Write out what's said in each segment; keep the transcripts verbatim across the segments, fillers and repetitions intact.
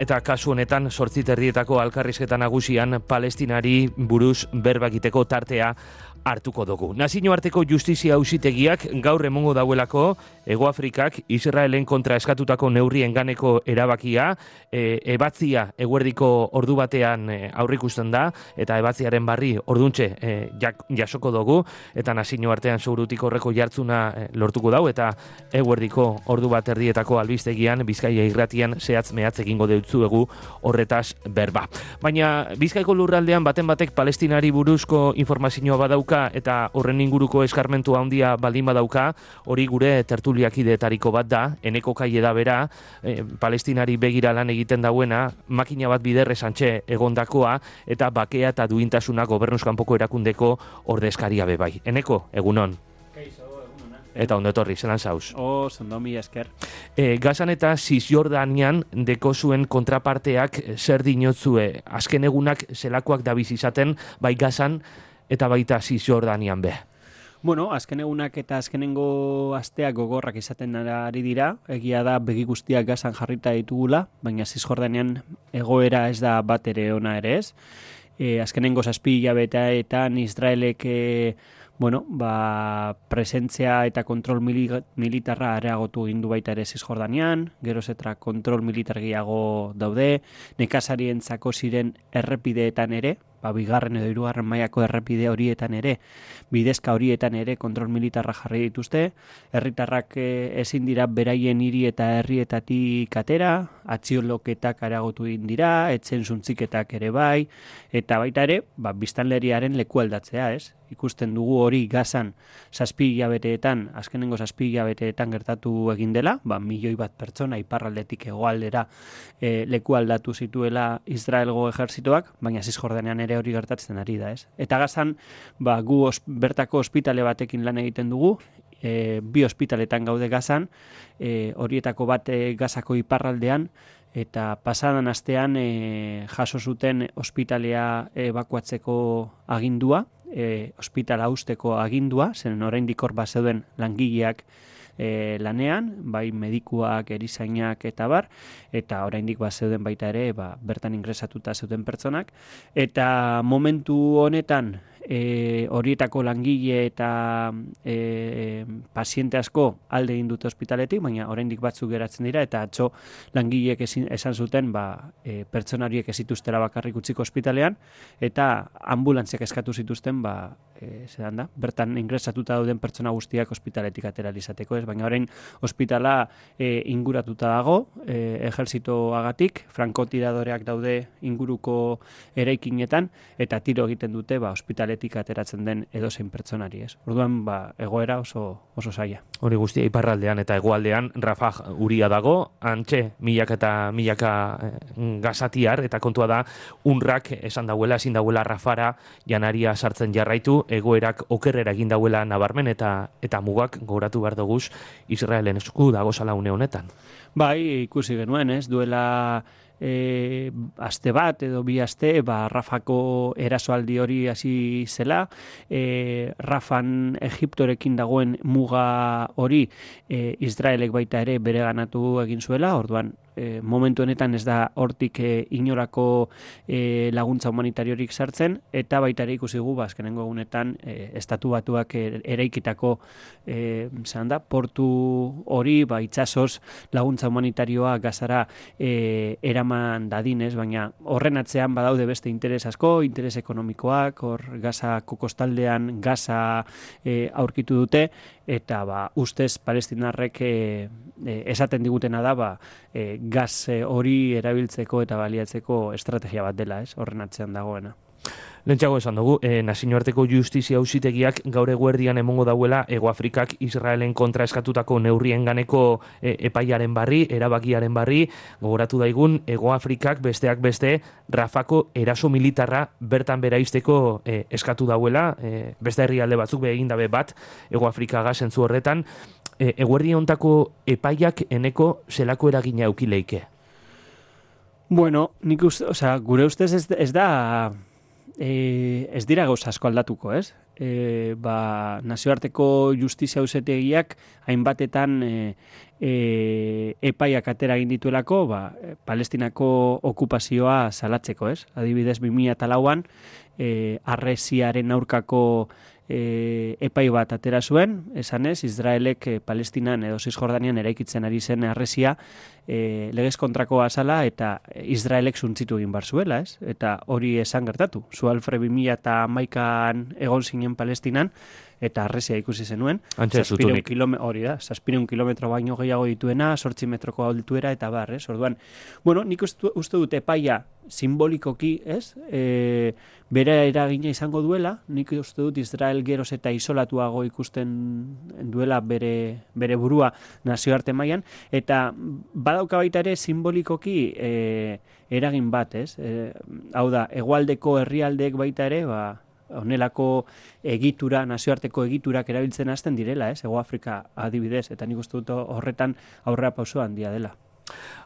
Eta kasu honetan, zortzi terdietako alkarrizketa nagusian Palestinari buruz berba egiteko tartea hartuko dugu. Nazioarteko justizia auzitegiak gaur emongo dauelako Hego Afrikak Israelen kontra eskatutako neurrien ganeko erabakia, e, ebatzia eguerdiko ordu batean e, aurrikusten da, eta ebatziaren barri orduntxe e, jak, jasoko dugu, eta nazioartean segurutik horreko jartzuna e, lortuko dau, eta eguerdiko ordu bat erdietako albistegian Bizkaia irratian zehatz mehatz egingo deutzuegu horretaz berba. Baina Bizkaiko lurraldean baten batek Palestinari buruzko informazioa badauka eta horren inguruko eskarmentu handia baldin badauka, hori gure tertuliakideetariko bat da, eneko kaie da bera, e, Palestinari begira lan egiten dauena, makina bat biderre santxe egondakoa, eta bakea eta duintasuna gobernuzkanpoko erakundeko ordezkaria bebai. Eneko, egunon. Keizo, egunon. Eta ondo etorri, zelan zauz? O, zondo mi esker. E, Gazan eta Cisjordanian deko zuen kontraparteak zer dinotzue, azken egunak zelakoak dabiz izaten, bai Gazan, eta baita Cisjordanian be. Bueno, azken egunak eta azkenengo asteak gogorrak izaten ari dira, egia da begi guztiak Gazan jarrita ditugula, baina Cisjordanian egoera ez da bat ere ona ere ez. E, azkenengo zazpi hilabeteetan Israelek e, bueno, ba, presentzia eta kontrol mili, militarra areagotu egin du baita ere Cisjordanian, geroz eta kontrol militar gehiago daude, nekazarientzako ziren errepideetan ere, ba, bigarren edo hirugarren mailako errepide horietan ere, bidezka horietan ere kontrol militarra jarri dituzte, herritarrak ezin dira beraien hiri eta herrietatik atera, atxioloketak areagotu egin dira, etzen zuntziketak ere bai, eta baita ere, ba, biztanleriaren leku aldatzea, ez? Ikusten dugu hori Gazan zazpi hilabeteetan, azkenengo zazpi hilabeteetan gertatu egin dela, ba, milioi bat pertsona iparraldetik hegoaldera e, leku aldatu zituela Israelgo ejerzitoak, baina Cisjordanean ere hori gertatzen ari da, ez? Eta Gazan, ba, gu os, bertako ospitale batekin lan egiten dugu, e, bi ospitaletan gaude Gazan, e, horietako bat e, Gazako iparraldean, eta pasadan astean e, jaso zuten ospitalea ebakuatzeko agindua, e, ospitala usteko agindua, zen oraindik hor bazeuden langileak e, lanean, bai medikuak, erizainak eta bar, eta oraindik bazeuden baita ere, ba, bertan ingresatuta zeuden pertsonak, eta momentu honetan e, horietako langile eta e, paziente asko alde egin dute ospitaletik, baina oraindik batzuk geratzen dira, eta atzo langileek ezin, esan zuten ba, e, pertsona horiek ez zituztela bakarrik utziko ospitalean, eta ambulantziak eskatu zituzten ba, e, zedan da, bertan ingresatuta dauden pertsona guztiak ospitaletik atera izateko, ez, baina orain ospitala e, inguratuta dago, e, ejerzitoagatik, frankotiradoreak daude inguruko eraikinetan, eta tiro egiten dute ba, ospitaletik ateratzen den edozein pertsonari, ez. Orduan, ba, egoera oso, oso zaila. Hori guztia iparraldean eta hegoaldean Rafah uria dago, antxe milaka eta milaka eh, gazatiar, eta kontua da unrak esan dauela, ezin dauela Rafara janaria sartzen jarraitu, egoerak okerrera egin dauela nabarmen, eta eta mugak gogoratu behar duguz Israelen esku dago zala une honetan. Bai, ikusi genuen, ez, duela e, aste bat edo bi aste, ba, Rafako erasoaldi hori hasi zela, e, Rafan Egiptorekin dagoen muga hori e, Israelek baita ere bereganatu egin zuela, orduan e, momentu honetan ez da hortik e, inorako e, laguntza humanitariorik sartzen, eta baita ere ikusi gu, ba, azkenengo egunetan e, estatu batuak e, eraikitako e, da, portu hori, ba, itsasoz laguntza humanitarioa Gazara e, eraman dadinez, baina horren atzean badaude beste interes asko, interes ekonomikoak, hor Gazako kostaldean Gaza e, aurkitu dute, eta ba, ustez palestinarrek e, e, esaten digutena da, ba, e, gaz hori erabiltzeko eta baliatzeko estrategia bat dela, ez, horren atzean dagoena. Lentsago esan dugu, e, nazioarteko justizia auzitegiak gaur eguerdian emongo dauela Hego Afrikak Israelen kontra eskatutako neurrien ganeko e, epaiaren barri, erabakiaren barri, gogoratu daigun, Hego Afrikak besteak beste Rafako eraso militarra bertan beraizteko e, eskatu dauela, e, beste herrialde batzuk be egin dabe bat, Hego Afrikaga zentzu horretan, e, eguerdi hontako epaiak eneko zelako eragina eukileike? Bueno, nik uste, o sea, gure ustez ez, ez da... E, ez dira gauza asko aldatuko, ez? e, ba, nazioarteko justizia auzitegiak hainbatetan e, e, epaiak atera egin dituelako, ba, Palestinako okupazioa salatzeko, ez? Adibidez, bi mila lauan, e, harresiaren aurkako e, epai bat atera zuen, esanez, Israelek e, Palestinan edo Zisjordanian eraikitzen ari zen harresia e, legez kontrakoa zala eta Israelek suntzitu egin bar zuela, ez? Eta hori esan gertatu. Zualfre bi mila hamaikan egon zinen Palestinan, eta harresia ikusi zenuen. Zazpireun kilometro, hori da, zazpireun kilometro baino gehiago dituena, sortzi metroko altuera eta bar, ez? Orduan, bueno, nik uste, uste dut epaia simbolikoki, ez? E, bere eragina izango duela, nik uste dut Israel geroz eta isolatuago ikusten duela bere, bere burua nazioarte mailan, eta badauka baita ere simbolikoki e, eragin bat, ez? E, hau da, hegoaldeko herrialdeek baita ere, ba, honelako egitura, nazioarteko egiturak erabiltzen hasten direla, ez? Hego Afrika adibidez, eta nik uste dut horretan aurrera pauso handia dela.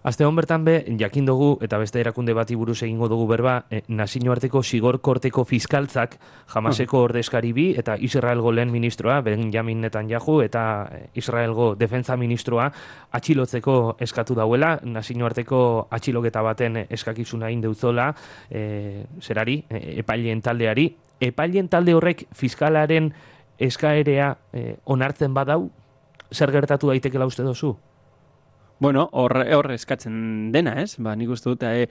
Aste hon bertan be, jakin dugu, eta beste erakunde bati buruz egingo dugu berba, eh, nazioarteko zigor korteko fiskaltzak, Hamaseko ordezkari bi, eta Israelgo lehen ministroa, Benjamin Netanyahu, eta Israelgo defensa ministroa, atxilotzeko eskatu dauela, nazioarteko atxiloketa baten eskakizuna indeuzola, eh, zerari, eh, epaileen taldeari, epaileen talde horrek fiskalaren eskaerea eh, onartzen badau, zer gertatu daitekela uste dozu? Bueno, hor, hor eskatzen dena, ez? Ba, nik uste dut, e,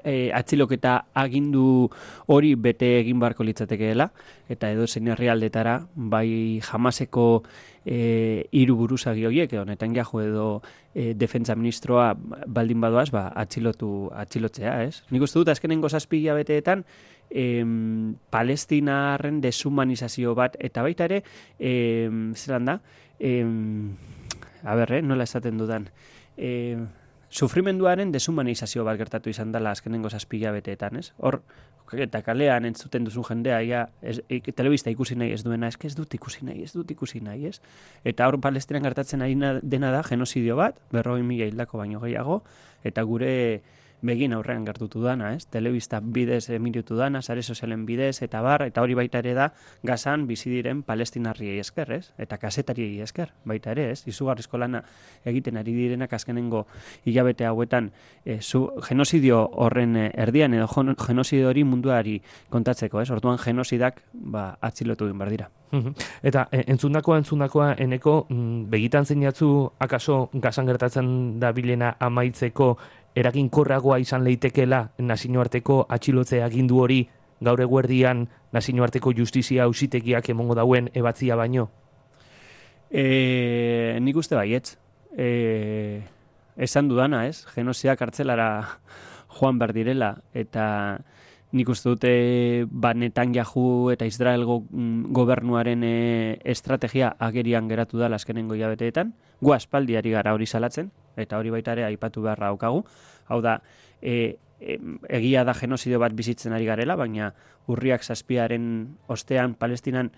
e, atxiloketa agindu hori bete egin barko litzatekeela, eta edo zein herrialdetara, bai Hamaseko e, hiru buruzagi horiek, edo Netanyahu edo e, defentsa ministroa baldin badoaz, ba, atxilotu, atxilotzea, ez? Nik uste dut, azkenengo zazpi hilabeteetan, em, Palestinarren deshumanizazio bat, eta baita ere, em, zelan da, em, a ber, eh, nola esaten dudan, E, sufrimenduaren deshumanizazio bat gertatu izan dela azkenengo zazpi hilabeteetan, ez? Hor, eta kalean entzuten duzu jendea, ja, ez, e, telebista ikusi nahi ez duena, ez, ez dut ikusi nahi, ez dut ikusi nahi, ez? Eta hor Palestinan gertatzen ari dena da genozidio bat, berrogei mila hildako baino gehiago, eta gure begin aurrean gertutu dana, ez? Telebista bidez emititu dana, sare sozialen bidez, eta bar, eta hori baita ere da, Gazan bizi diren palestinarriei esker, ez? Eta kazetariei esker, baita ere, ez? Izugarrizko lana egiten ari direnak azkenengo hilabete hauetan e, zu, genozidio horren erdian, edo genozidio hori munduari kontatzeko, ez? Orduan genozidak, ba, atzilotu egin behar dira. Eta entzundakoa, entzundakoa, eneko, begitan zeinatzu, akaso Gazan gertatzen da bilena amaitzeko eraginkorragoa izan leitekela nazioarteko atxilotze agindu hori gaur eguerdian nazioarteko justizia auzitegiak emongo dauen ebatzia baino? E, nik uste baietz. E, esan dudana, ez? Genozidak kartzelara joan behar direla, eta nik uste dute ba, Netanyahu eta Israelgo gobernuaren e, estrategia agerian geratu da azkenengo hilabeteetan. Gu aspaldiari gara hori salatzen, eta hori baita ere aipatu beharra daukagu. Hau da, e, e, egia da genozidio bat bizitzen ari garela, baina urriak zazpiaren ostean Palestinan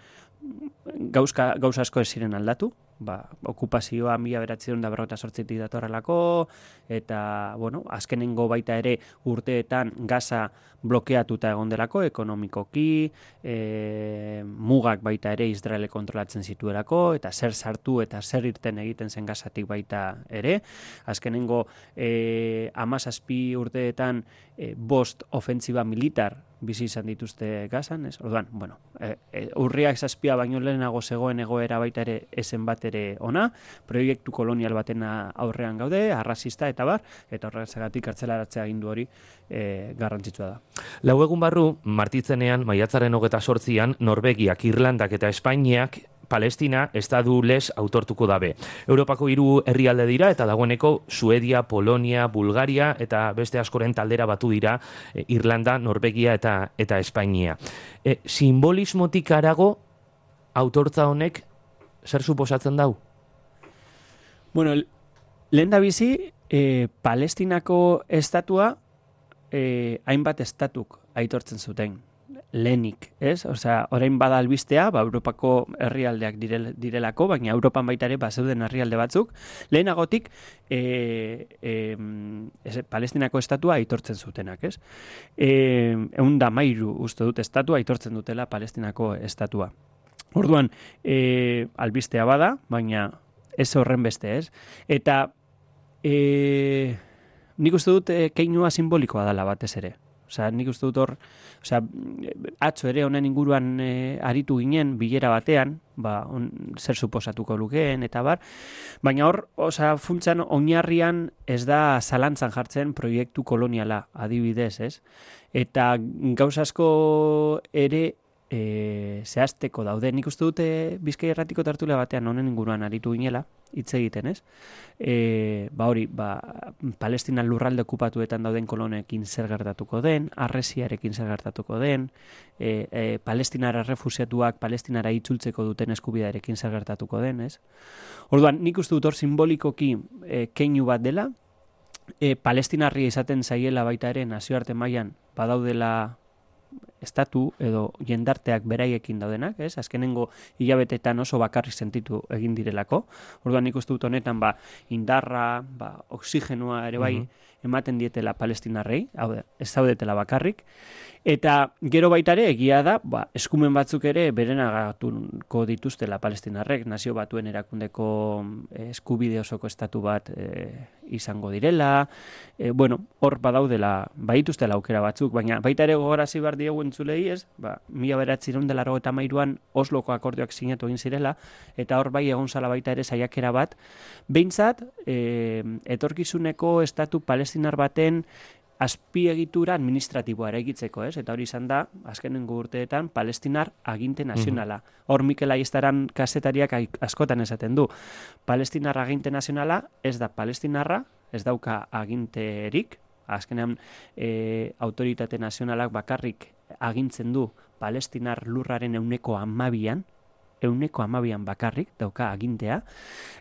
gauzka, gauza asko ez ziren aldatu. Ba, okupazioa mila bederatziehun eta berrogeita zortzitik datorrelako, eta, bueno, azkenengo baita ere urteetan Gaza blokeatuta egon delako, ekonomikoki, e, mugak baita ere Israele kontrolatzen zituelako, eta zer sartu eta zer irten egiten zen Gazatik baita ere. Azkenengo e, hamazazpi urteetan e, bost ofentziba militar bizi izan dituzte Gazan, ez? Orduan, bueno, e, e, urriak zazpia baino lehenago zegoen egoera baita ere esen bat ere ona, proiektu kolonial baten aurrean gaude, arrazista eta bar, eta horregatik kartzelaratzea agindu hori e, garrantzitsua da. Lau egun barru, martitzenean, maiatzaren hogeta sortzian, Norvegiak, Irlandak eta Espainiak Palestina estadu les autortuko dabe. Europako hiru herrialde dira eta dagoeneko Suedia, Polonia, Bulgaria eta beste askoren taldera batu dira e, Irlanda, Norvegia eta eta Espainia. E, simbolismotik harago autortza honek zer suposatzen dau? Bueno, lehen da bizi, e, Palestinako estatua e, hainbat estatuk aitortzen zuten. Lehenik, ez? Osea, orain bada albistea, ba, Europako herrialdeak direl, direlako, baina Europan baita ere bazeuden herrialde batzuk, lehenagotik e, e, ez, Palestinako estatua aitortzen zutenak, ez? E, egun da mairu uste dut estatua aitortzen dutela Palestinako estatua. Orduan, e, albistea bada, baina ez horren beste, ez? Eta e, nik uste dut e, keinua simbolikoa dela batez ere. Osea, nik uste dut hor, osea, atzo ere honen inguruan e, aritu ginen bilera batean, ba, on, zer suposatuko lukeen eta bar, baina hor, osea, funtsan oinarrian ez da zalantzan jartzen proiektu koloniala, adibidez, ez? Eta gauza asko ere e, zehazteko daude. Nik uste dute Bizkai Irratiko tertulia batean honen inguruan aritu ginela, hitz egiten, ez? E, ba hori, ba, Palestina lurralde okupatuetan dauden kolonekin zer gertatuko den, Harresiarekin zer gertatuko den, e, e, Palestinara refusiatuak Palestinara itzultzeko duten eskubidearekin zer gertatuko den, ez? Orduan, nik uste dut hor simbolikoki e, keinu bat dela, e, Palestinarria izaten zaiela baita ere nazioarte mailan badaudela estatu edo jendarteak beraiekin daudenak, ez? Azkenengo hilabetetan oso bakarrik sentitu egin direlako. Orduan nik uste dut honetan ba indarra, ba oxigenua ere bai uh-huh. ematen dietela palestinarrei, hau da, ez zaudetela bakarrik. Eta gero baita ere egia da, ba, eskumen batzuk ere berenagatuko dituztela palestinarrek, nazio batuen erakundeko eskubide osoko estatu bat e, izango direla, e, bueno, hor badaudela, baituztela aukera batzuk, baina baita ere gogarazi behar diegu entzulei, ez, ba, mila bederatziehun eta laurogeita hamairuan Osloko akordioak sinatu egin zirela, eta hor bai egon zala baita ere saiakera bat, behintzat, e, etorkizuneko estatu palestinar baten azpiegitura administratiboa eraikitzeko, ez? Eta hori izan da, azkenengo urteetan, Palestinar aginte nazionala. Hor Mikel Aiestaran kazetariak askotan esaten du. Palestinar aginte nazionala ez da palestinarra, ez dauka aginterik, azkenean e, autoritate nazionalak bakarrik agintzen du Palestinar lurraren euneko hamabian, euneko hamabian bakarrik dauka agintea,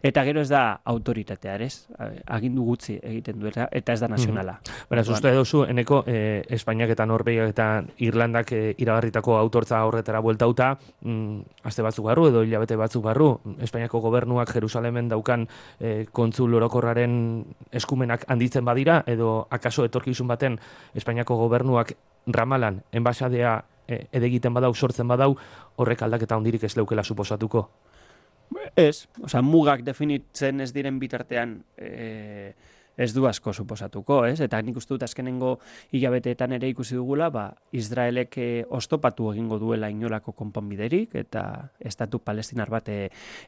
eta gero ez da autoritatea, ez? Agindu gutxi egiten du, eta ez da nazionala. Mm-hmm. Beraz, uste duzu, eneko, eh, Espainiak eta Norvegiak eta Irlandak eh, iragarritako autortza horretara bueltauta, mm, aste batzuk barru edo hilabete batzuk barru, Espainiako gobernuak Jerusalemen daukan eh, kontsul orokorraren eskumenak handitzen badira, edo akaso etorkizun baten Espainiako gobernuak Ramalan, enbaxadea edegiten badau, sortzen badau, horrek aldaketa hondirik ez leukela suposatuko? Ez, osea, mugak definitzen ez diren bitartean e, ez du asko suposatuko, ez? Eta nik uste dut azkenengo hilabeteetan ere ikusi dugula, ba, Israelek e, oztopatu egingo duela inolako konponbiderik, eta estatu palestinar bat e,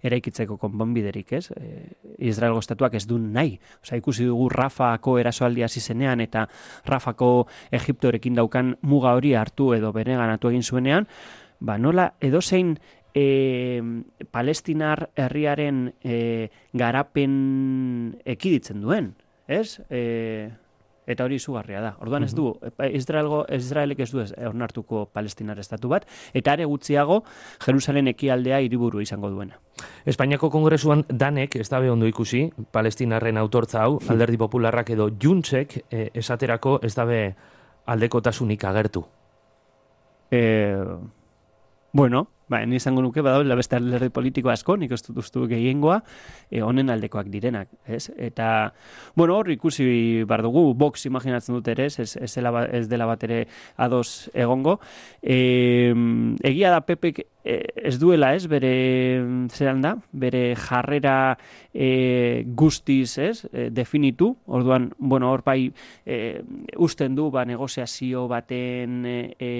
eraikitzeko konponbiderik, ez? E, Israelgo estatuak ez du nahi. Osea, ikusi dugu Rafako erasoaldia hasi zenean, eta Rafako Egiptorekin daukan muga hori hartu edo bereganatu egin zuenean, ba, nola edozein E, palestinar herriaren e, garapen ekiditzen duen, ez? E, eta hori izugarria da. Orduan ez du, Israelgo, Israelek ez du ez onartuko palestinar estatu bat, eta are gutxiago Jerusalen ekialdea hiriburu izango duena. Espainiako Kongresuan danek, ez da ondo ikusi, palestinarren autortza hau, Alderdi Popularrak edo Juntsek e, esaterako ez da aldekotasunik agertu. Eh... Bueno, ba, ni izango nuke badaudela beste alderdi politiko asko, nik ez dut ustu gehiengoa, e, honen aldekoak direnak, ez? Eta, bueno, hor ikusi bar dugu, Vox imaginatzen dut ere, ez, ez, dela, ez dela bat ere ados egongo. E, egia da Pepek ez duela, ez, bere, zeran da, bere jarrera e, guztiz, ez, e, definitu, orduan, bueno, hor bai e, usten du, ba, negoziazio baten, e,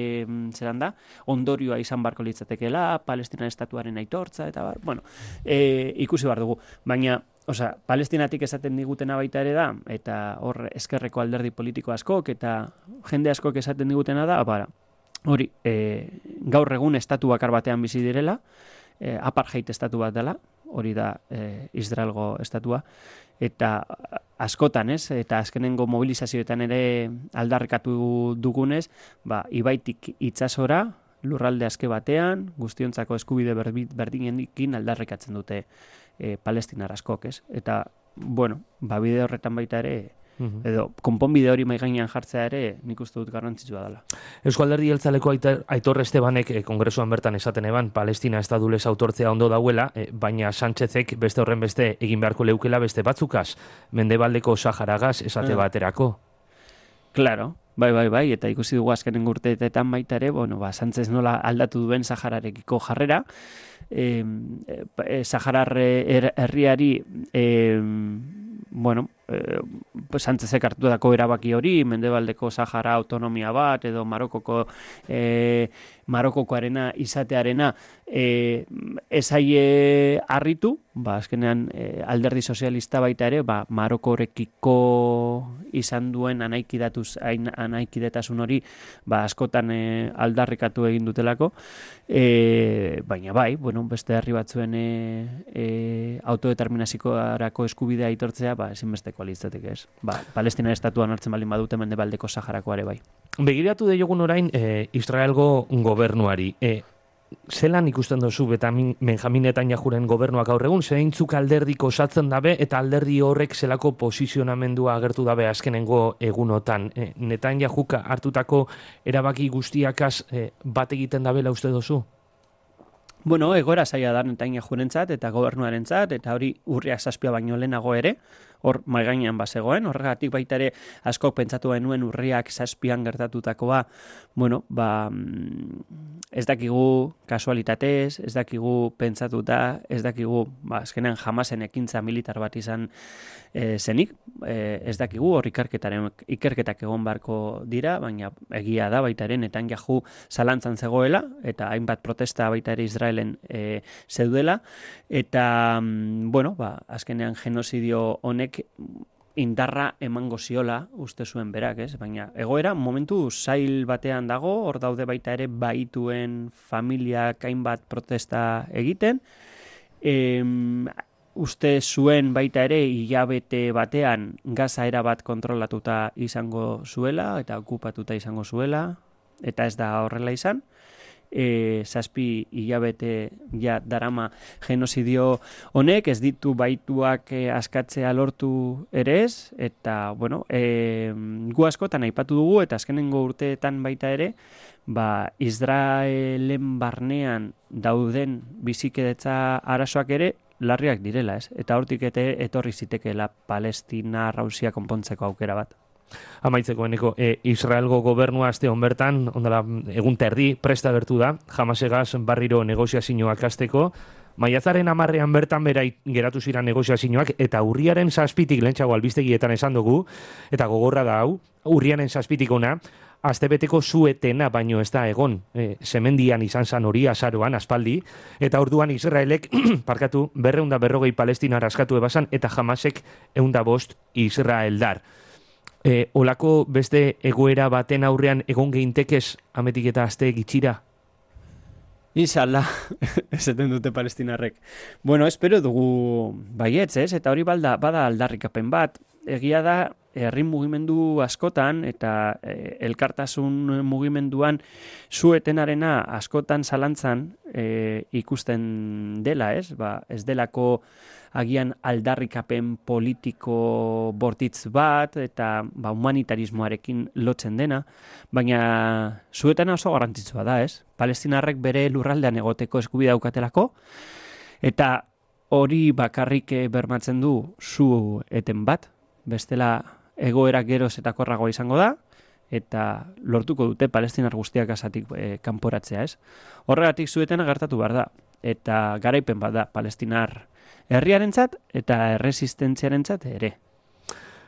zeran da, ondorioa izan barko litzatekela, Palestina estatuaren aitortza, eta bar, bueno, e, ikusi bar dugu, baina, osea, Palestinatik esaten digutena baita ere da, eta hor ezkerreko alderdi politiko askok, eta jende askok esaten digutena da, bara, hori, e, gaur egun estatu bakar batean bizi direla, e, apartheid estatu bat dela, hori da e, Israelgo estatua, eta askotan, ez, eta azkenengo mobilizazioetan ere aldarrikatu dugunez, ba, ibaitik itsasora, lurralde aske batean, guztiontzako eskubide berdinekin aldarrikatzen dute e, palestinar askok, ez? Eta, bueno, ba, bide horretan baita ere, edo konponbide hori mai gainean jartzea ere nik uste dut garrantzitsua dela. Eusko Alderdi Jeltzaleko Aitor Estebanek eh, kongresuan bertan esaten eban Palestina estadulez autortzea ondo dauela, eh, baina Sánchezek beste horren beste egin beharko leukela beste batzukaz, Mendebaldeko Saharagaz esate ah. baterako. Claro, Bai, bai, bai, eta ikusi dugu azkenen urteetan baita ere, bueno, ba, Sánchez nola aldatu duen Sahararekiko jarrera, e, e, Saharar herriari, e, bueno, e, pues Sánchezek hartu dako erabaki hori, Mendebaldeko Sahara autonomia bat, edo Marokoko e, Marokokoarena izatearena e, esaie harritu, ba, azkenean e, alderdi sozialista baita ere, ba, Marokorekiko izan duen anaikidatuz, anaikidetasun hori, ba, askotan e, aldarrikatu egin dutelako, e, baina bai, bueno, beste herri batzuen e, e, autodeterminazikorako eskubidea aitortzea, ba, ezinbesteko litzateke ez. Ba, Palestina estatuan hartzen baldin badute Mendebaldeko Saharakoare bai. Begiratu deiogun orain e, Israelgo gobernuari. E, zelan ikusten duzu Benjamin Netanyahuren gobernuak gaur egun, zeintzuk alderdik osatzen dabe eta alderdi horrek zelako posizionamendua agertu dabe azkenengo egunotan. E, Netanyahuk hartutako erabaki guztiakaz e, bat egiten dabela uste duzu? Bueno, egoera zaila da Netanyahurentzat eta gobernuarentzat, eta hori urriak zazpia baino lehenago ere, hor maigainean bazegoen, horregatik baita ere asko pentsatu genuen urriak zazpian gertatutakoa, bueno, ba, ez dakigu kasualitatez, ez dakigu pentsatuta, ez dakigu, ba, azkenean jamasen ekintza militar bat izan e, zenik, e, ez dakigu hor ikerketaren, ikerketak egon barko dira, baina egia da baita ere Netanyahu zalantzan zegoela, eta hainbat protesta baita ere Israelen e, zeudela, eta, bueno, ba, azkenean genozidio honek indarra emango ziola uste zuen berak, ez? Baina egoera momentu zail batean dago, hor daude baita ere baituen familiak hainbat protesta egiten, e, uste zuen baita ere hilabete batean Gaza erabat kontrolatuta izango zuela eta okupatuta izango zuela, eta ez da horrela izan. E, zazpi hilabete ja darama genozidio honek, ez ditu baituak e, askatzea lortu ere ez, eta bueno, e, gu askotan aipatu dugu, eta azkenengo urteetan baita ere, ba, Israelen barnean dauden bizikidetza arazoak ere larriak direla, ez? Eta hortik ete etorri zitekeela Palestina Rausia konpontzeko aukera bat. Amaitzeko eneko, e, Israelgo gobernua aste hon bertan, ondala egun terdi, presta gertu da, Hamasegaz barriro negoziazioak hasteko, maiatzaren hamarrean bertan bera geratu ziren negoziazioak, eta urriaren zazpitik lehentxago albistegietan esan dugu, eta gogorra da hau, urriaren zazpitik ona, astebeteko zuetena baino ez da egon, e, semendian izan zan hori azaroan, aspaldi, eta orduan Israelek, parkatu, berreunda berrogei Palestinar askatu ebasan, eta Hamasek eunda bost Israeldar. E, olako beste egoera baten aurrean egon geintekez ametik eta aste gitxira? Inshallah, esaten dute palestinarrek. Bueno, espero dugu baietz, ez? Eta hori balda, bada aldarrikapen bat. Egia da, herri mugimendu askotan eta e, elkartasun mugimenduan zuetenarena askotan zalantzan e, ikusten dela, ez? Ba, ez delako agian aldarrikapen politiko bortitz bat eta ba, humanitarismoarekin lotzen dena, baina zuetena oso garrantzitsua da, ez? Palestinarrek bere lurraldean egoteko eskubidea daukatelako, eta hori bakarrik bermatzen du zu eten bat, bestela egoera geroz eta korragoa izango da, eta lortuko dute palestinar guztiak asatik e, kanporatzea, ez? Horregatik zuetena gertatu behar da, eta garaipen bat da palestinar herriarentzat eta erresistentziarentzat ere.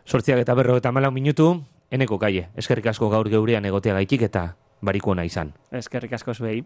Sortziak eta berro eta malau minutu, eneko kaie. Eskerrik asko gaur geurean egotea gaitik eta bariko ona izan. Eskerrik asko zuei.